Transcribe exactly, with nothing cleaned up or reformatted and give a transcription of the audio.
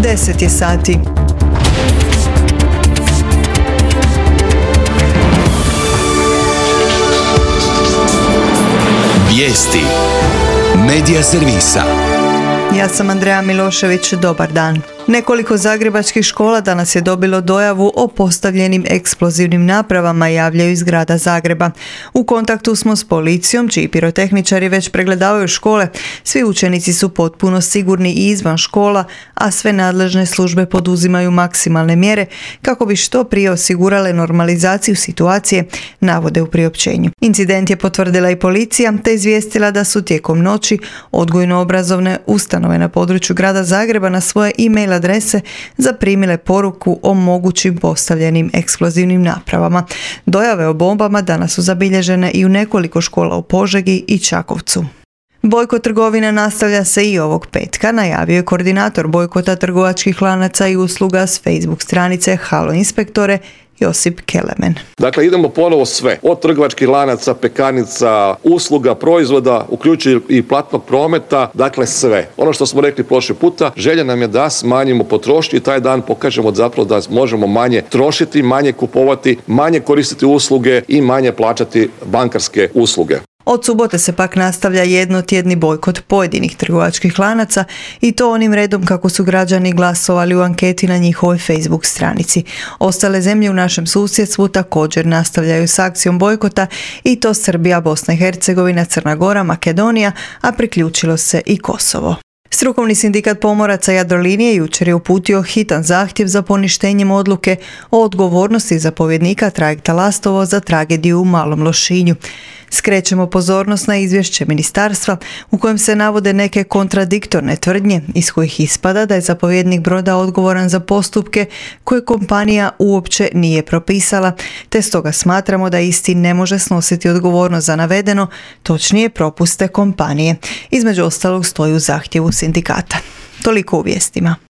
deset je sati. Vijesti Medija servisa. Ja sam Andreja Milošević, dobar dan. Nekoliko zagrebačkih škola danas je dobilo dojavu o postavljenim eksplozivnim napravama, javljaju iz grada Zagreba. U kontaktu smo s policijom, čiji pirotehničari već pregledavaju škole. Svi učenici su potpuno sigurni i izvan škola, a sve nadležne službe poduzimaju maksimalne mjere kako bi što prije osigurale normalizaciju situacije, navode u priopćenju. Incident je potvrdila i policija, te izvijestila da su tijekom noći odgojno-obrazovne ustanove na području grada Zagreba na svoje e-mail adrese zaprimile poruku o mogućim postavljenim eksplozivnim napravama. Dojave o bombama danas su zabilježene i u nekoliko škola u Požegi i Čakovcu. Bojkot trgovina nastavlja se i ovog petka, najavio je koordinator bojkota trgovačkih lanaca i usluga s Facebook stranice Halo inspektore Josip Kelemen. Dakle, idemo ponovo sve, od trgovačkih lanaca, pekarnica, usluga, proizvoda, uključujući i platnog prometa, dakle sve. Ono što smo rekli prošli puta, želja nam je da smanjimo potrošnju i taj dan pokažemo zapravo da možemo manje trošiti, manje kupovati, manje koristiti usluge i manje plaćati bankarske usluge. Od subote se pak nastavlja jednotjedni bojkot pojedinih trgovačkih lanaca i to onim redom kako su građani glasovali u anketi na njihovoj Facebook stranici. Ostale zemlje u našem susjedstvu također nastavljaju s akcijom bojkota i to Srbija, Bosna i Hercegovina, Crna Gora, Makedonija, a priključilo se i Kosovo. Strukovni sindikat pomoraca Jadrolinije jučer je uputio hitan zahtjev za poništenjem odluke o odgovornosti zapovjednika trajekta Lastovo za tragediju u Malom Lošinju. Skrećemo pozornost na izvješće ministarstva u kojem se navode neke kontradiktorne tvrdnje iz kojih ispada da je zapovjednik broda odgovoran za postupke koje kompanija uopće nije propisala, te stoga smatramo da isti ne može snositi odgovornost za navedeno, točnije propuste kompanije. Između ostalog stoji u zahtjevu sindikata. Toliko u vijestima.